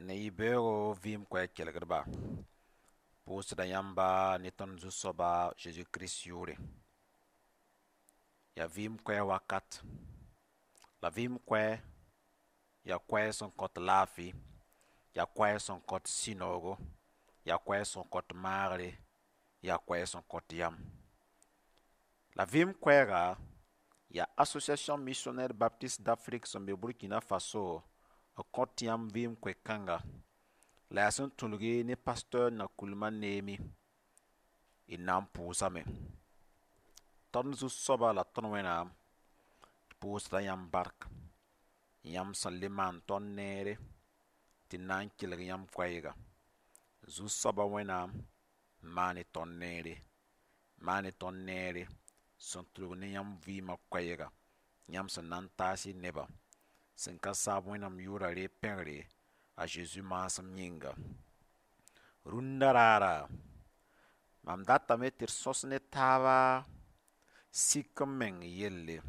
Ne yibeoogo vɩɩm koɛɛg kelgdba, pʋʋsda yãmba ne tõnd Zu-soaba Zeezi Kirist yʋʋre. Yaa vɩɩm koɛɛg wakat, la vɩɩm koɛɛg yaa koɛɛg sẽn kõt laafɩ, yaa koɛɛg sẽn kõt sũ-noogo, yaa koɛɛg sẽn kõt maagre, yaa koɛɛg sẽn kõt yam. La vɩɩm koɛɛga yaa Association Missionnaire Baptiste d'Afrique sẽn be Burkina Faso n kõt yãmb vɩɩm koe-kãnga. La yaa sẽn tũlgi ne pasteur Nakoulma Neemi y na n pʋʋsame. Tõnd Zu-soaba la tõnd Wẽnnaam pʋʋsda yãmb bark, yãmb sẽn le maan tõnd neere tɩ na n kelg yãmb koɛɛga. Zu-soaba Wẽnnaam maan-y tõnd neere, maan-y tõnd neere sẽn tʋlg ne yãmb vɩɩmã koɛɛga, yãmb sẽn na n taas y nebã sẽn ka saab Wẽnnaam yʋʋra reeg pẽgre a Zeezi maasem yĩnga. Rũndã raara, mam datame tɩ d sõs ne taaba sik n meng yelle.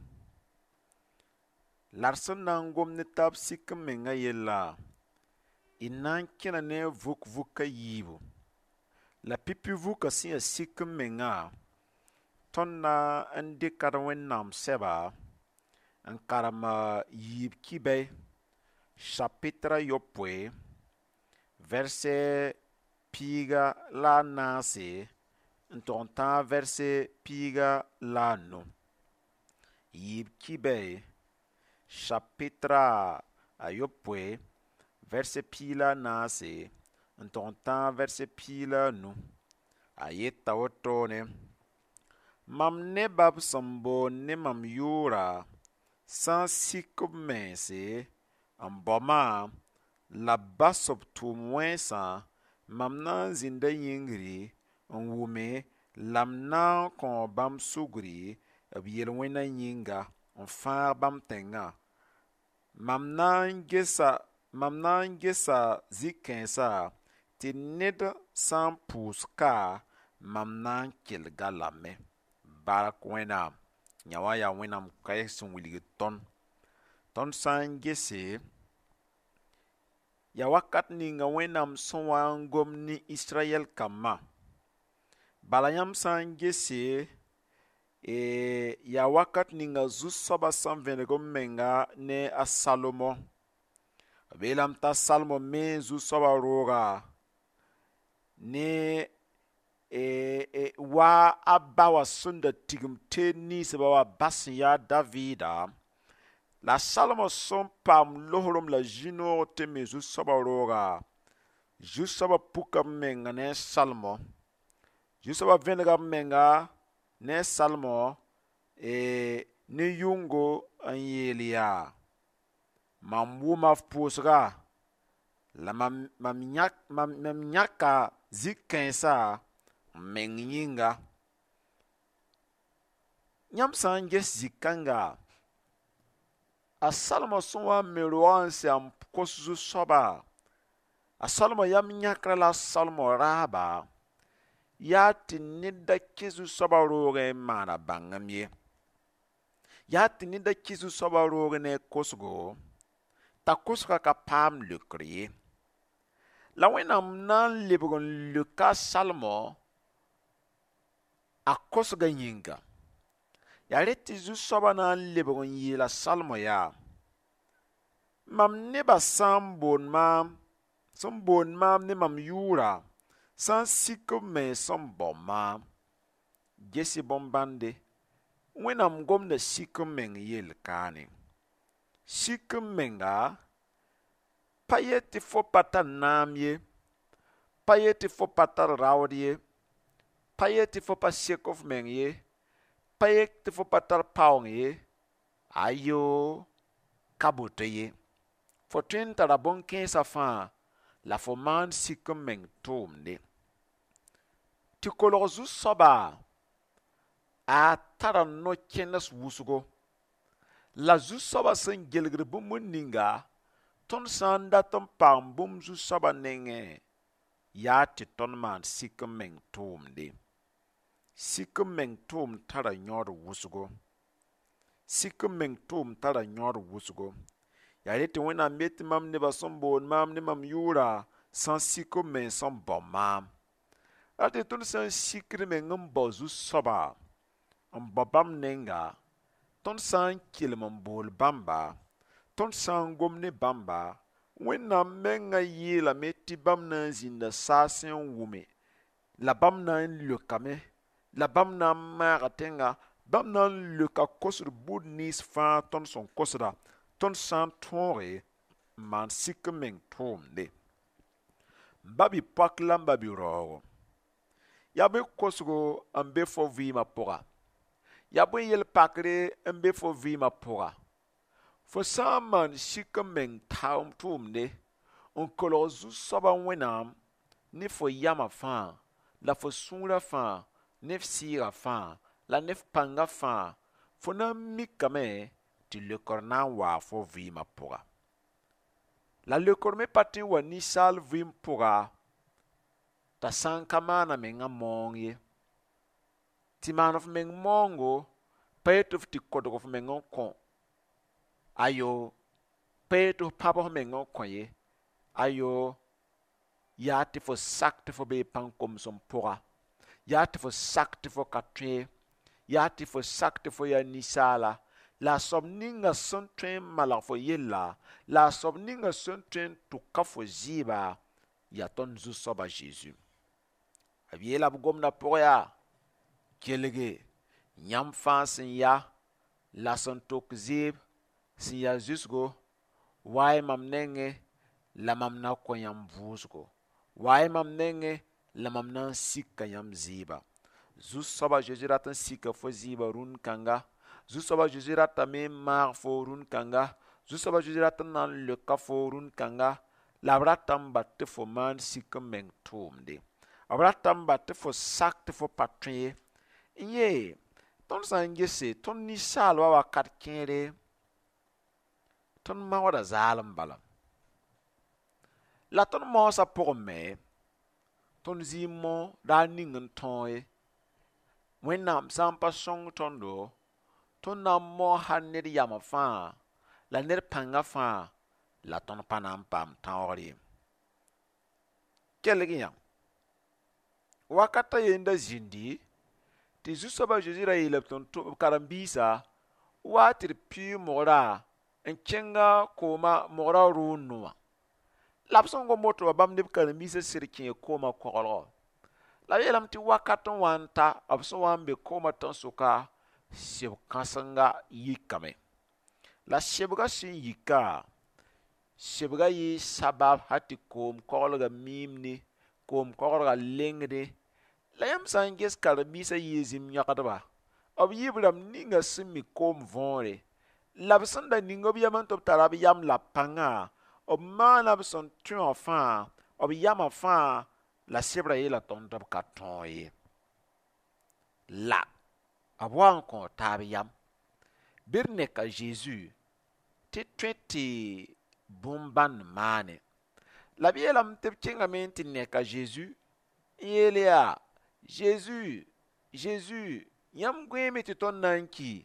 La d sẽn na n gom ne taab sik n mengã yella, y na n kẽna ne a vuk-vuk a yiibu. La pipi vukã sẽn yaa sik n mengã, tõnd na n dɩka d Wẽnnaam sɛba n karem yiib kibɛ chapitre a yopoe verset 14 n tog n tãag verset 15. Yiib kibɛ chapitre a yopoe verset 14 n tog n tãag verset 15. A yeta wotone: mam nebã b sẽn boond ne mam yʋʋra sã n sik b mense n bao maam la b bas b tʋʋm wẽnsã, mam na n zĩnda yĩngri n wʋme la m na n kõo bãmb sugri b yel-wẽnã yĩnga n fãag bãmb tẽngã. Mam na n gesa zĩ-kãensã tɩ ned sã n pʋʋs ka, mam na n kelg-a lame. Bark Wẽnnaam, yã wã yaa Wẽnnaam koɛɛg sẽn wilg tõnd. Tõnd sã n gese, yaa wakat ninga Wẽnnaam sẽn wa n gom ne Israyɛl kambã. Bala yãmb sã n gese, yaa wakat ninga Zu-soabã sẽn vẽneg m menga ne a Salomo. B yeelame t'a Salomo me Zu-soabã rooga ne wa a ba wã sẽn da tigim teed ninsbã wã ba sẽn yaa Davida, la Salomo sẽn paam losrem la zĩ-noog tɩ me Zu-soabã rooga, Zu-soabã puka b menga ne a Salomo. Zu-soabã vẽnega b menga ne a Salomo ne yʋngo n yeel yaa: mam wʋma f pʋʋsga la mam yãka zĩ-kãensã m meng yĩnga. Yãmb sã n ges zĩ-kãnga, a Salomo sẽn wa n me roogã n sɛ n kos Zu-soaba, a Salomo yam yãkrã la a Salomo raaba, yaa tɩ ned da kẽ Zu-soabã roogẽ n maana bãngem ye. Yaa tɩ ned da kẽ Zu-soabã roogẽ ne a kosgo, t'a kosgã ka paam leokr ye. La Wẽnnaam na n lebg n leoka a Salomo a kosgã yĩnga. Yaa rẽ tɩ Zu-soabã na n lebg n yeela Salomo yaa: mam nebã sã n boond maam, sẽn boond maam ne mam yʋʋra, sã n sik b mens n bao maam. Ges-y bõn-bãnde, Wẽnnaam gomda sik n meng yell kaane. Sik n menga, pa yet tɩ fo pa tar naam ye, pa yet tɩ fo pa tar raood ye, pa yet tɩ fo pa sek f meng ye, pa yet tɩ fo pa tar paoong ye, ayo, ka boto ye. Fo tõe n tara bõn-kẽensã fãa la fo maan sik n meng tʋʋmde. Tɩ kolg Zu-soaba a tara no-kẽnes wʋsgo. La Zu-soabã sẽn gelgd bũmb ninga, tõnd sã n dat n paam bũmb Zu-soabã nengẽ, yaa tɩ tõnd maan sik n meng tʋʋmde. Sik n meng tʋʋmd tara yõod wʋsgo. Sik n meng tʋʋmd tara yõod wʋsgo. Yaa re tɩ Wẽnnaam yet tɩ mam nebã sẽn boond maam ne mam yʋʋra sã n sik b mens n bao maam. Ra tɩ tõnd sã n sikd meng n bao Zu-soaba, n bao bãmb nenga, tõnd sã n kelem n bool bãmba, tõnd sã n gom ne bãmba, Wẽnnaam mengã yeelame tɩ bãmb na n zĩnda saasẽ n wʋme, la bãmb na n leokame, la bãmb na n maaga tẽnga, bãmb na n leoka kosd bũmb nins fãa tõnd sẽn kosda, tõnd sã n tõoge n maan sik n meng tʋʋmde. M ba bi-poak la m ba bi-raoogo, yaa bõe kosgo n be fo vɩɩmã pʋga? Yaa bõe yel-pakre n be fo vɩɩmã pʋga? Fo sã n maan sik n meng tʋʋmde n kolg Zu-soabã Wẽnnaam ne fo yamã fãa la fo sũurã fãa ne f sɩɩgã fãa la ne f pãngã fãa, fo na n mikame tɩ leokr na n waa fo vɩɩmã pʋga. La leokr me pa tõe n wa ninsaal vɩɩm pʋga t'a sã n ka maan a mengã maoong ye. Tɩ maan f meng maoongo pa yet tɩ f tɩ kodg f meng n kõ, ayo, pa yet tɩ f pãb f meng n kõ ye, ayo, yaa tɩ fo sak tɩ fo bee pãn-komsem pʋga, yaa tɩ fo sak tɩ fo ka tõe, yaa tɩ fo sak tɩ fo yaa ninsaala, la a soab ninga sẽn tõe n malg fo yella, la a soab ninga sẽn tõe n tʋka fo zɩɩba, yaa tõnd Zu-soaba Zeezi. B yeela b gomdã pʋg yaa: kelge, yãmb fãa sẽn ya la sẽn tok zɩɩb, sẽn ya zʋsgo, wa-y mam nengẽ la mam na kõ yãmb vʋʋsgo. Wa-y mam nengẽ la mam na n sika yãmb zɩɩba. Zu-soaba Zeezi rat n sika fo zɩɩbã rũn kãnga. Zu-soaba Zeezi ratame n maag fo rũn kãnga. Zu-soaba Zeezi rat n na n leoka fo rũn kãnga. La b rata n bat tɩ fo maan sik n meng tʋʋmde. B rata n bat tɩ fo sak tɩ fo pa tõe ye. N yee, tõnd sã n gese tõnd ninsaalbã wakat kẽere, tõnd maooda zaalem bala. La tõnd maoosã pʋgẽ me, tõnd zĩig mao daar ning n tõog ye. Wẽnnaam sã n pa sõng tõndo, tõnd na n mao hal ned yamã fãa la ned pãngã fãa la tõnd pa na n paam tãoogr ye. Kelg yã, wakat a yen da zĩndi tɩ Zu-soabã Zeezi ra yeela b karen-biisã wa tɩ d pɩʋʋg mogrã n kẽnga kooma mogrã rʋʋndo wã. La b sẽn gom woto wã, bãmb ne b karen-biisã sɩd kẽe koomã koglgo. La b yeelame tɩ wakat n wa n ta, b sẽn wa n be koomã tẽn-sʋka, seb-kãsenga yikame. La sebgã sẽn yika, sebgã yɩɩ sabab hal tɩ koom koglgã miimde, koom koglgã lengde. La yãmb sã n ges karen-biisã yɩɩ zĩm yãgdba, b yɩ b rãmb ninga sẽn mi koom võore, la b sẽn da ning b yam tɩ b tara b yam la pãngã, b maana b sẽn tõe wã fãa, b yamã fãa, la sebrã yeela tõnd tɩ b ka tõog ye. La b wa n kõ taab yam. Bɩ d neka Zeezi tɩ tõe tɩ bũmb-bãnd maane. La b yeelame tɩ b kẽngame n tɩ neka Zeezi n yeel yaa: Zeezi, Zeezi, yãmb gõeeme tɩ tõnd na n ki.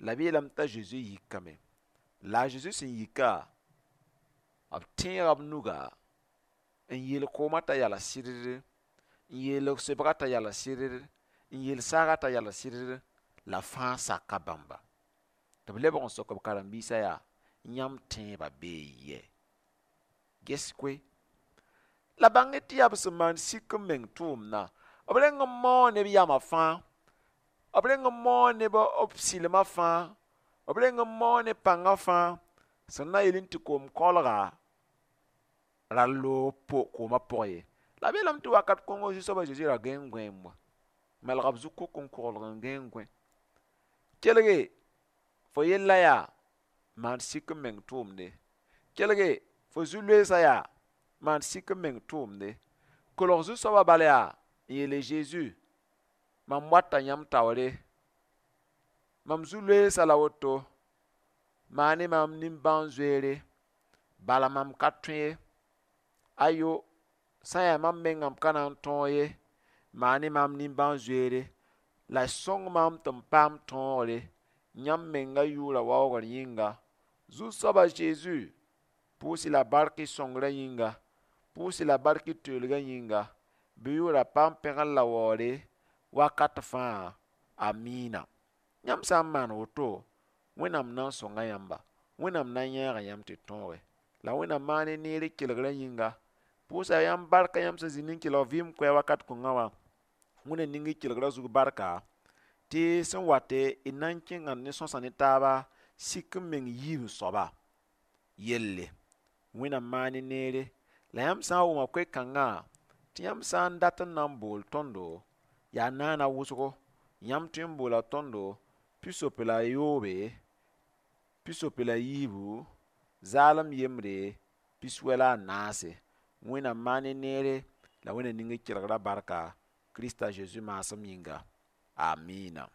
La b yeelame t'a Zeezi yikame. La a Zeezi sẽn yika, b tẽega b nuga n yeel koomã t'a yala sɩddd, n yeel sebgã t'a yala sɩddd, n yeel saagã t'a yala sɩddd, la fãa saka bãmba. Tɩ b lebg n sok b karen-biisã yaa: yãmb tẽebã bee yɛ? Ges koe. La bãng tɩ yaa b sẽn maan sik n meng tʋʋmdã, b reng n maoog ne b yamã fãa, b reng n maoog ne b sɩlmã fãa, b reng n maoog ne pãngã fãa, sẽn na yeel tɩ koom koglga ra loog koomã pʋgẽ ye. La b yeelame tɩ wakat kõngo Zu-soabã Zeezi ra gãe n gõeem wa. Malga b zu-kok n koglg n gãe n gõe. Kelge, fo yella yaa maan sik n meng tʋʋmde. Kelge, fo zu-loeesã yaa maan sik n meng tʋʋmde. Kolg Zu-soabã bala yaa n yeele Zeezi, mam wata yãmb taoore, mam zu-loeesã la woto, maan-y maam nimbãan-zoeere, bala mam ka tõe ye. Ayo, sã n yaa mam mengã m ka na n tõog ye, maan-y maam nimbãan-zoeere, la sõng maam tɩ m paam tõogre, yãmb menga yʋʋra waoogr yĩnga, Zu-soaba Zeezi, pʋʋs-y la bark y sõngrã yĩnga, pʋʋs-y la bark y toeelgã yĩnga, bɩ yʋʋra paam pẽgr la waoore wakat fãa. Amiina. Yãmb sã n maan woto, Wẽnnaam na n sõnga yãmba, Wẽnnaam na n yãaga yãmb tɩ tõoge. La Wẽnnaam maan y neer y kelgrã yĩnga. Pʋʋsa yãmb barka yãmb sẽn zĩnd n kelg vɩɩm koɛɛ wakat kõngã wã. Wẽnna ning y kelgrã zug barka tɩ sẽn wate y na n kẽnga ne sõsa ne taaba sik n meng yiib soaba yelle. Wẽnnaam maan y neere. La yãmb sã n wʋma koe-kãngã tɩ yãmb sã n dat n na n bool tõndo, yaa naana wʋsgo, yãmb tõe n boola tõndo 63, 64, 0 94. Wẽnnaam maan y neere la Wẽnna ning y kelgrã barka Krista Zeezi maasem yĩnga. Amiina.